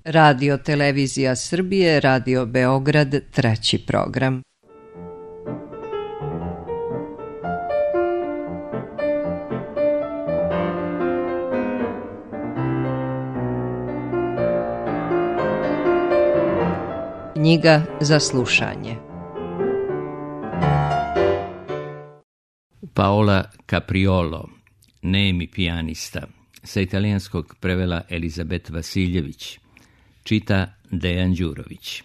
Radio Televizija Srbije, Radio Beograd, 3. program. Knjiga za slušanje. Paola Capriolo, nemi pijanista, sa italijanskog prevela Elizabet Vasiljević, čita Dejan Đurović.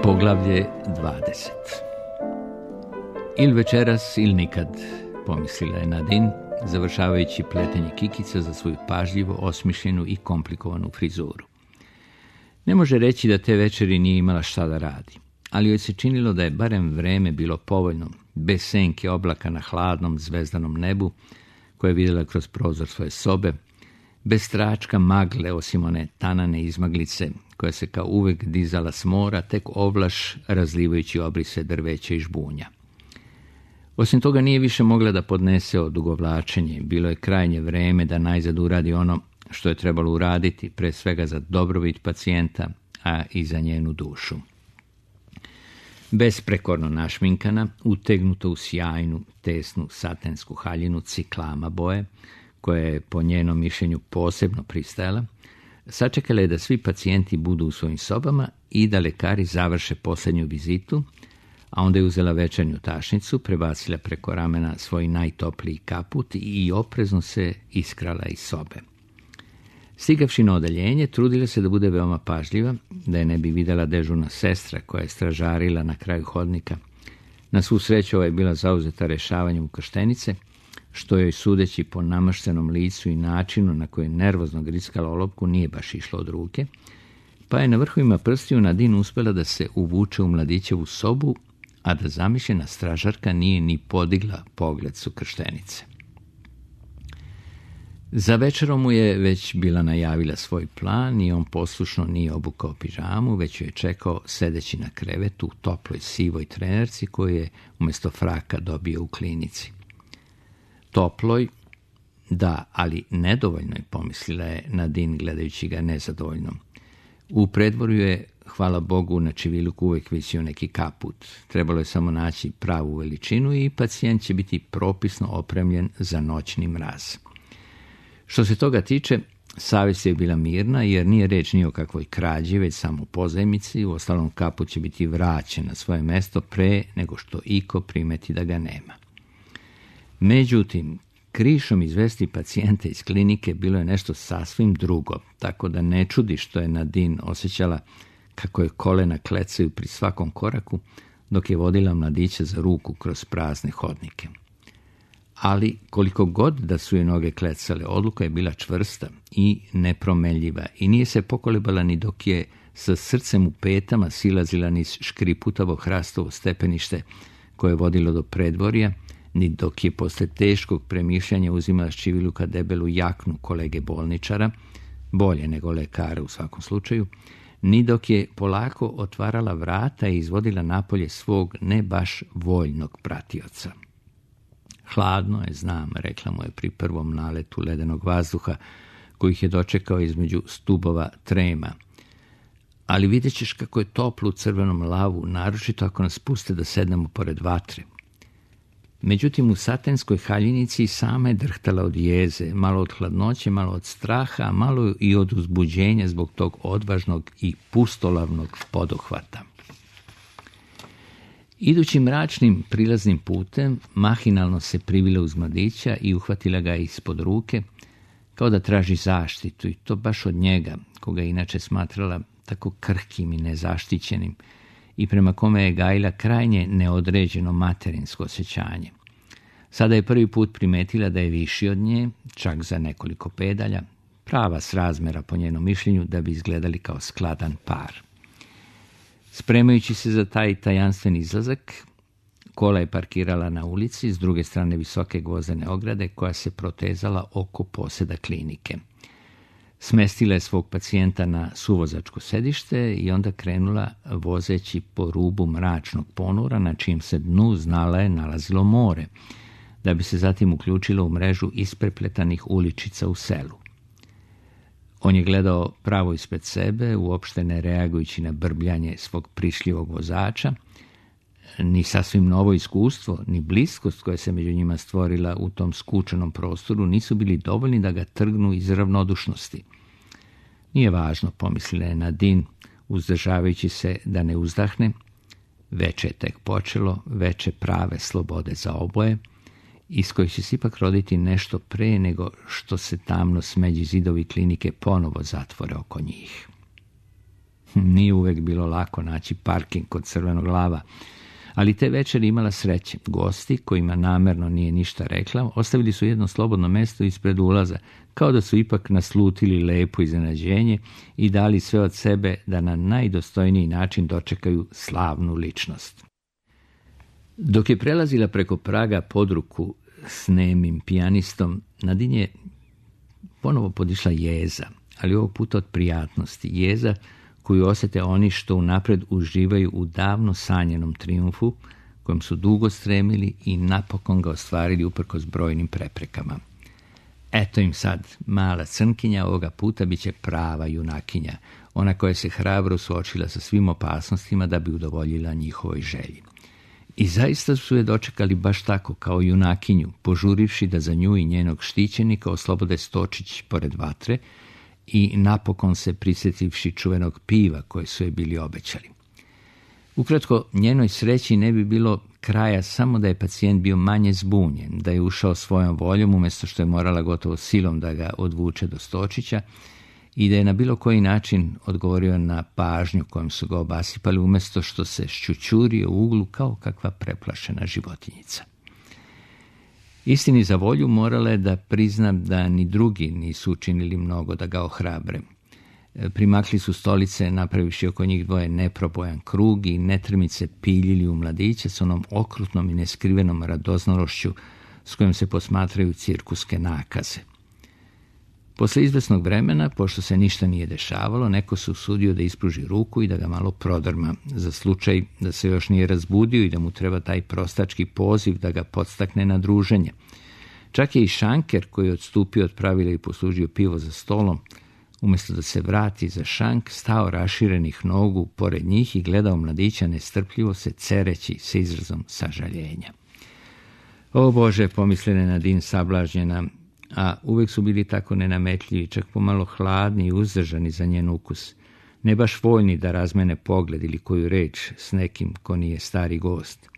Poglavlje 20. Il večeras, il nikad, pomislila je Nadine, završavajući pletenje kikica za svoju pažljivo osmišljenu i komplikovanu frizuru. Ne može reći da te večeri nije imala šta da radi, ali joj se činilo da je barem vreme bilo povoljno, bez senke oblaka na hladnom, zvezdanom nebu, koje je vidjela kroz prozor svoje sobe, bez tračka magle osim one tanane izmaglice, koja se kao uvek dizala s mora, tek ovlaš razlivajući obrise drveća i žbunja. Osim toga nije više mogla da podnese odugovlačenje, bilo je krajnje vreme da najzad uradi ono što je trebalo uraditi, pre svega za dobrobit pacijenta, a i za njenu dušu. Besprekorno našminkana, utegnuta u sjajnu, tesnu, satensku haljinu ciklama boje, koja je po njenom mišljenju posebno pristajala, sačekala je da svi pacijenti budu u svojim sobama i da lekari završe posljednju vizitu, a onda je uzela večernju tašnicu, prebacila preko ramena svoj najtopliji kaput i oprezno se iskrala iz sobe. Stigavši na odeljenje, trudila se da bude veoma pažljiva, da je ne bi videla dežurna sestra koja je stražarila na kraju hodnika. Na svu sreću ova je bila zauzeta rešavanjem ukrštenice, što joj sudeći po namaštenom licu i načinu na koji je nervozno grickala olovku nije baš išlo od ruke, pa je na vrhovima prstiju Nadine uspela da se uvuče u mladićevu sobu, a da zamišljena stražarka nije ni podigla pogled s ukrštenice. Za večerom mu je već bila najavila svoj plan i on poslušno nije obukao pižamu, već ju je čekao sedeći na krevetu u toploj sivoj trenerci koju je umjesto fraka dobio u klinici. Toploj, da, ali nedovoljnoj, pomislila je Nadine gledajući ga nezadovoljno. U predvorju je, hvala Bogu, na čiviluku uvijek visio neki kaput. Trebalo je samo naći pravu veličinu i pacijent će biti propisno opremljen za noćni mraz. Što se toga tiče, savjest je bila mirna, jer nije reč ni o kakvoj krađi, već samo o pozajmici, uostalom kaput će biti vraćen na svoje mesto pre nego što iko primeti da ga nema. Međutim, krišom izvesti pacijenta iz klinike bilo je nešto sasvim drugo, tako da ne čudi što je Nadine osjećala kako je kolena klecaju pri svakom koraku, dok je vodila mladića za ruku kroz prazne hodnike. Ali koliko god da su je noge klecale, odluka je bila čvrsta i nepromenljiva i nije se pokolebala ni dok je sa srcem u petama silazila niz škriputavo hrastovo stepenište koje je vodilo do predvorja, ni dok je posle teškog premišljanja uzimala s čiviluka debelu jaknu kolege bolničara, bolje nego lekara u svakom slučaju, ni dok je polako otvarala vrata i izvodila napolje svog ne baš voljnog pratioca. Hladno je, znam, rekla mu je pri prvom naletu ledenog vazduha, kojih je dočekao između stubova trema. Ali vidjet ćeš kako je toplo u crvenom lavu, naročito ako nas puste da sednemo pored vatre. Međutim, u satenskoj haljinici sama je drhtala od jeze, malo od hladnoće, malo od straha, a malo i od uzbuđenja zbog tog odvažnog i pustolavnog poduhvata. Idući mračnim prilaznim putem, mahinalno se privila uz mladića i uhvatila ga ispod ruke, kao da traži zaštitu, i to baš od njega, koga je inače smatrala tako krhkim i nezaštićenim, i prema kome je gajila krajnje neodređeno materinsko osjećanje. Sada je prvi put primetila da je viši od nje, čak za nekoliko pedalja, prava srazmera po njenom mišljenju da bi izgledali kao skladan par. Spremajući se za taj tajanstven izlazak, kola je parkirala na ulici, s druge strane visoke gvozdene ograde koja se protezala oko poseda klinike. Smestila je svog pacijenta na suvozačko sedište i onda krenula vozeći po rubu mračnog ponora na čijem se dnu znala je nalazilo more, da bi se zatim uključilo u mrežu isprepletanih uličica u selu. On je gledao pravo ispred sebe, uopšte ne reagujući na brbljanje svog prišljivog vozača. Ni sasvim novo iskustvo, ni bliskost koja se među njima stvorila u tom skučenom prostoru nisu bili dovoljni da ga trgnu iz ravnodušnosti. Nije važno, pomislila je Nadine, uzdržavajući se da ne uzdahne. Veče je tek počelo, veče prave slobode za oboje, iz kojih će se ipak roditi nešto pre nego što se tamno smeđi zidovi klinike ponovo zatvore oko njih. Nije uvek bilo lako naći parking kod Crvenog lava, ali te večeri imala sreće. Gosti, kojima namerno nije ništa rekla, ostavili su jedno slobodno mesto ispred ulaza, kao da su ipak naslutili lepo iznenađenje i dali sve od sebe da na najdostojniji način dočekaju slavnu ličnost. Dok je prelazila preko praga pod ruku s nemim pijanistom, Nadine je ponovo podišla jeza, ali ovog puta od prijatnosti. Jeza koju osjete oni što unapred uživaju u davno sanjenom trijumfu, kojem su dugo stremili i napokon ga ostvarili uprkos brojnim preprekama. Eto im sad, mala crnkinja ovoga puta bit će prava junakinja, ona koja se hrabro suočila sa svim opasnostima da bi udovoljila njihovoj želji. I zaista su je dočekali baš tako, kao junakinju, požurivši da za nju i njenog štićenika oslobode stočić pored vatre i napokon se prisjetivši čuvenog piva koje su je bili obećali. Ukratko, njenoj sreći ne bi bilo kraja samo da je pacijent bio manje zbunjen, da je ušao svojom voljom umjesto što je morala gotovo silom da ga odvuče do stočića i da je na bilo koji način odgovorio na pažnju kojom su ga obasipali umjesto što se šćućurio u uglu kao kakva preplašena životinjica. Istini za volju morala je da priznam da ni drugi nisu učinili mnogo da ga ohrabre. Primakli su stolice, napravivši oko njih dvoje neprobojan krug i netrmice piljili u mladiće s onom okrutnom i neskrivenom radoznalošću s kojom se posmatraju cirkuske nakaze. Posle izvesnog vremena, pošto se ništa nije dešavalo, neko se usudio da ispruži ruku i da ga malo prodrma, za slučaj da se još nije razbudio i da mu treba taj prostački poziv da ga podstakne na druženje. Čak je i šanker, koji je odstupio od pravila i poslužio pivo za stolom, umjesto da se vrati za šank, stao raširenih nogu pored njih i gledao mladića nestrpljivo se cereći sa izrazom sažaljenja. O Bože, pomislila je Nadine sablažnjena, a uvek su bili tako nenametljivi, čak pomalo hladni i uzdržani za njen ukus, ne baš voljni da razmene pogled ili koju reč s nekim ko nije stari gost.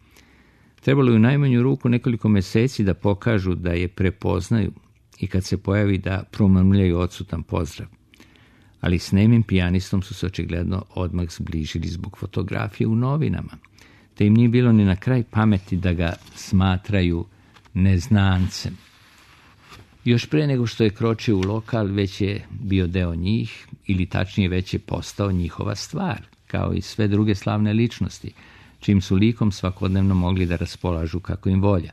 Trebalo je u najmanju ruku nekoliko meseci da pokažu da je prepoznaju i kad se pojavi da promrmljaju odsutan pozdrav. Ali s nemim pijanistom su se očigledno odmah zbližili zbog fotografije u novinama, te im nije bilo ni na kraj pameti da ga smatraju neznancem. Još pre nego što je kročio u lokal, već je bio deo njih, ili tačnije već je postao njihova stvar, kao i sve druge slavne ličnosti, čim su likom svakodnevno mogli da raspolažu kako im volja.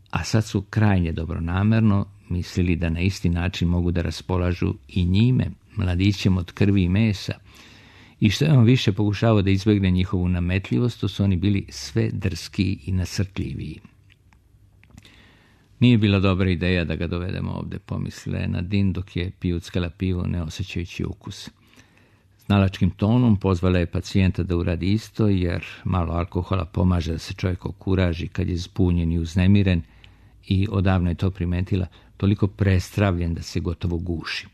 A sad su krajnje dobronamerno mislili da na isti način mogu da raspolažu i njime, mladićem od krvi i mesa, i što je on više pokušavao da izbegne njihovu nametljivost, to su oni bili sve drskiji i nasrtljiviji. Nije bila dobra ideja da ga dovedemo ovde, pomislila je Nadine dok je pijuckala pivo ne osjećajući ukus. Znalačkim tonom pozvala je pacijenta da uradi isto, jer malo alkohola pomaže da se čovjek okuraži kad je zbunjen i uznemiren i odavno je to primetila, toliko prestravljen da se gotovo guši.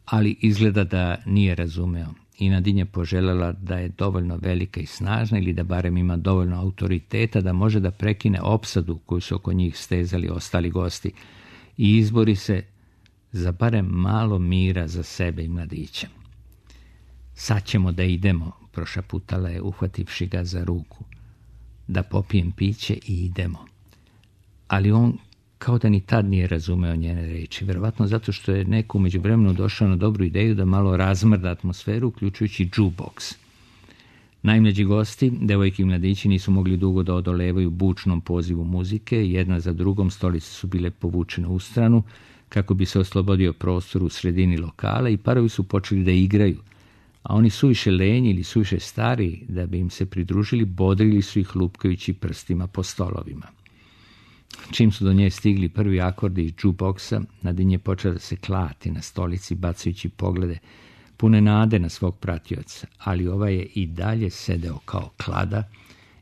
Ali izgleda da nije razumeo i Nadine je poželjela da je dovoljno velika i snažna ili da barem ima dovoljno autoriteta da može da prekine opsadu koju su oko njih stezali ostali gosti i izbori se za barem malo mira za sebe i mladića. Sad ćemo da idemo, prošaputala je uhvativši ga za ruku. Da popijem piće i idemo. Ali on kao da ni tad nije razumeo njene reči, verovatno zato što je neko u međuvremenu došao na dobru ideju da malo razmrda atmosferu, uključujući jukebox. Najmlađi gosti, devojke i mladići, nisu mogli dugo da odolevaju bučnom pozivu muzike, jedna za drugom stolice su bile povučene u stranu, kako bi se oslobodio prostor u sredini lokala i parovi su počeli da igraju, a oni suviše lenji ili suviše stari da bi im se pridružili, bodrili su ih lupkajući prstima po stolovima. čim su do nje stigli prvi akordi iz jukeboxa, Nadine je počela da se klati na stolici, bacajući poglede pune nade na svog pratioca, ali ovaj je i dalje sedeo kao klada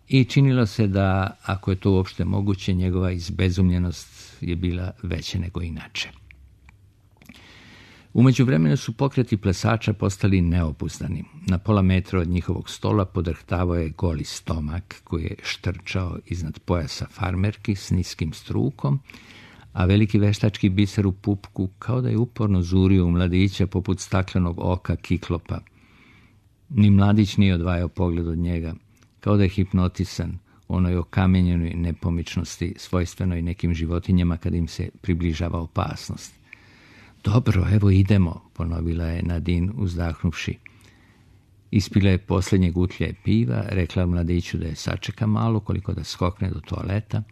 i činilo se da, ako je to uopšte moguće, njegova izbezumljenost je bila veća nego inače. U međuvremenu su pokreti plesača postali neobuzdani. Na pola metra od njihovog stola podrhtavao je goli stomak koji je štrčao iznad pojasa farmerki s niskim strukom, a veliki veštački biser u pupku kao da je uporno zurio u mladića poput staklenog oka kiklopa. Ni mladić nije odvajao pogled od njega, kao da je hipnotisan onoj okamenjenoj nepomičnosti svojstvenoj nekim životinjama kad im se približava opasnost. Dobro, evo idemo, ponovila je Nadine uzdahnuvši. Ispila je posljednje gutlje piva, rekla mladiću da je sačeka malo koliko da skokne do toaleta,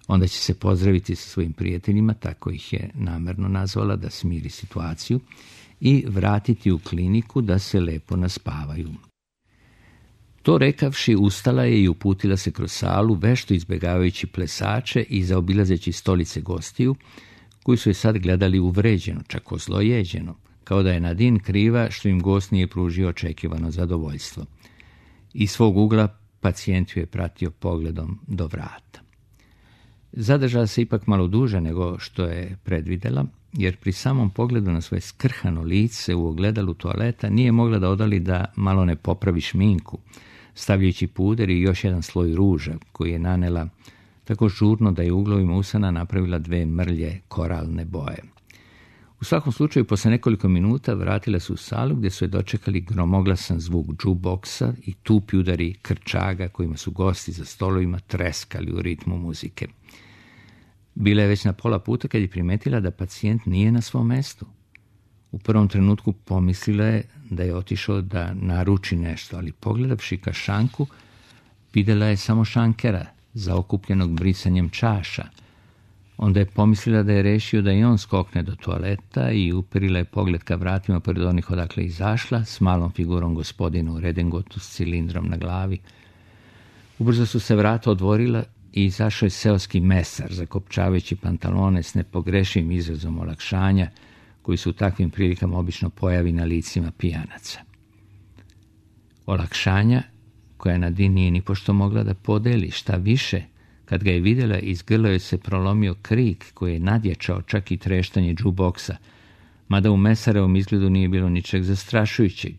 onda će se pozdraviti sa svojim prijateljima, tako ih je namerno nazvala da smiri situaciju, i vratiti u kliniku da se lepo naspavaju. To rekavši, ustala je i uputila se kroz salu, vešto izbjegavajući plesače i zaobilazeći stolice gostiju, koji su je sad gledali uvređeno, čak ozlojeđeno, kao da je Nadine kriva što im gost nije pružio očekivano zadovoljstvo. Iz svog ugla pacijent ju je pratio pogledom do vrata. Zadržala se ipak malo duže nego što je predvidela, jer pri samom pogledu na svoje skrhano lice u ogledalu toaleta nije mogla da odali da malo ne popravi šminku, stavljajući puder i još jedan sloj ruža koji je nanela tako žurno da je u uglovima usana napravila 2 mrlje koralne boje. U svakom slučaju, posle nekoliko minuta vratila se u salu gdje su je dočekali gromoglasan zvuk jukeboxa i tupi udari krčaga kojima su gosti za stolovima treskali u ritmu muzike. Bila je već na pola puta kad je primetila da pacijent nije na svom mestu. U prvom trenutku pomislila je da je otišao da naruči nešto, ali pogledavši ka šanku, videla je samo šankera, zaokupljenog brisanjem čaša. Onda je pomislila da je rešio da i on skokne do toaleta i uperila je pogled ka vratima pored onih odakle izašla, s malom figurom gospodina u redingotu s cilindrom na glavi. Ubrzo su se vrata odvorila i izašao je seoski mesar, zakopčavajući pantalone s nepogrešivim izrazom olakšanja, koji se u takvim prilikama obično pojavi na licima pijanaca. Olakšanja koja Nadine nije ni pošto mogla da podeli, šta više, kad ga je vidjela, iz grla joj se prolomio krik koji je nadjačao čak i treštanje jukeboxa, mada u mesarevom izgledu nije bilo ničeg zastrašujućeg.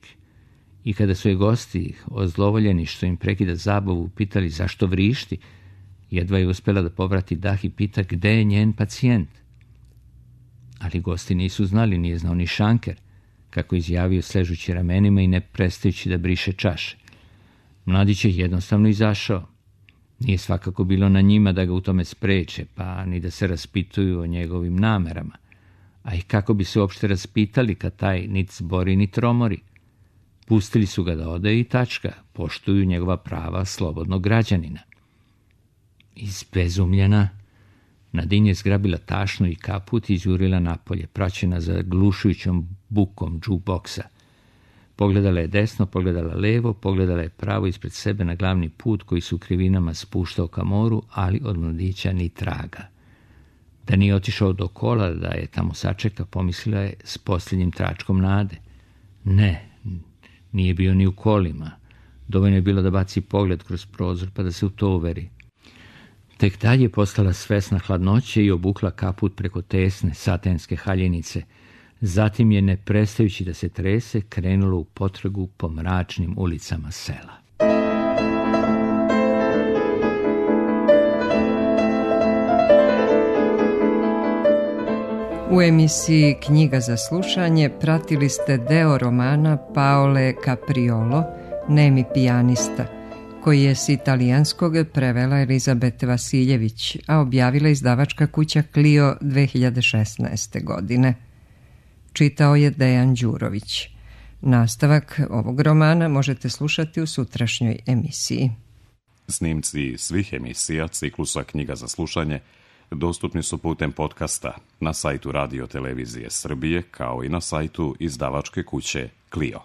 I kada su je gosti, ozlovoljeni što im prekida zabavu, pitali zašto vrišti, jedva je uspjela da povrati dah i pita gde je njen pacijent. Ali gosti nisu znali, nije znao ni šanker, kako izjavio sležući ramenima i ne prestajući da briše čaše. Mladić je jednostavno izašao. Nije svakako bilo na njima da ga u tome spreče, pa ni da se raspituju o njegovim namerama. A i kako bi se uopšte raspitali kad taj nit zbori ni tromori. Pustili su ga da ode i tačka, poštuju njegova prava slobodnog građanina. Izbezumljena, Nadine je zgrabila tašnu i kaput i izjurila napolje, praćena zaglušujućom bukom jukeboxa. Pogledala je desno, pogledala levo, pogledala je pravo ispred sebe na glavni put koji se u krivinama spuštao ka moru, ali od mladića ni traga. Da nije otišao do kola, da je tamo sačeka, pomislila je s posljednjim tračkom nade. Ne, nije bio ni u kolima. Dovoljno je bilo da baci pogled kroz prozor pa da se u to uveri. Tek dalje je postala svesna hladnoće i obukla kaput preko tesne satenske haljenice. Zatim je, ne prestajući da se trese, krenulo u potragu po mračnim ulicama sela. U emisiji Knjiga za slušanje pratili ste deo romana Paole Capriolo, Nemi pijanista, koji je s italijanskog prevela Elizabete Vasiljević, a objavila izdavačka kuća Clio 2016. godine. Čitao je Dejan Đurović. Nastavak ovog romana možete slušati u sutrašnjoj emisiji. Snimci svih emisija ciklusa Knjiga za slušanje dostupni su putem podcasta na sajtu Radio Televizije Srbije, kao i na sajtu izdavačke kuće Clio.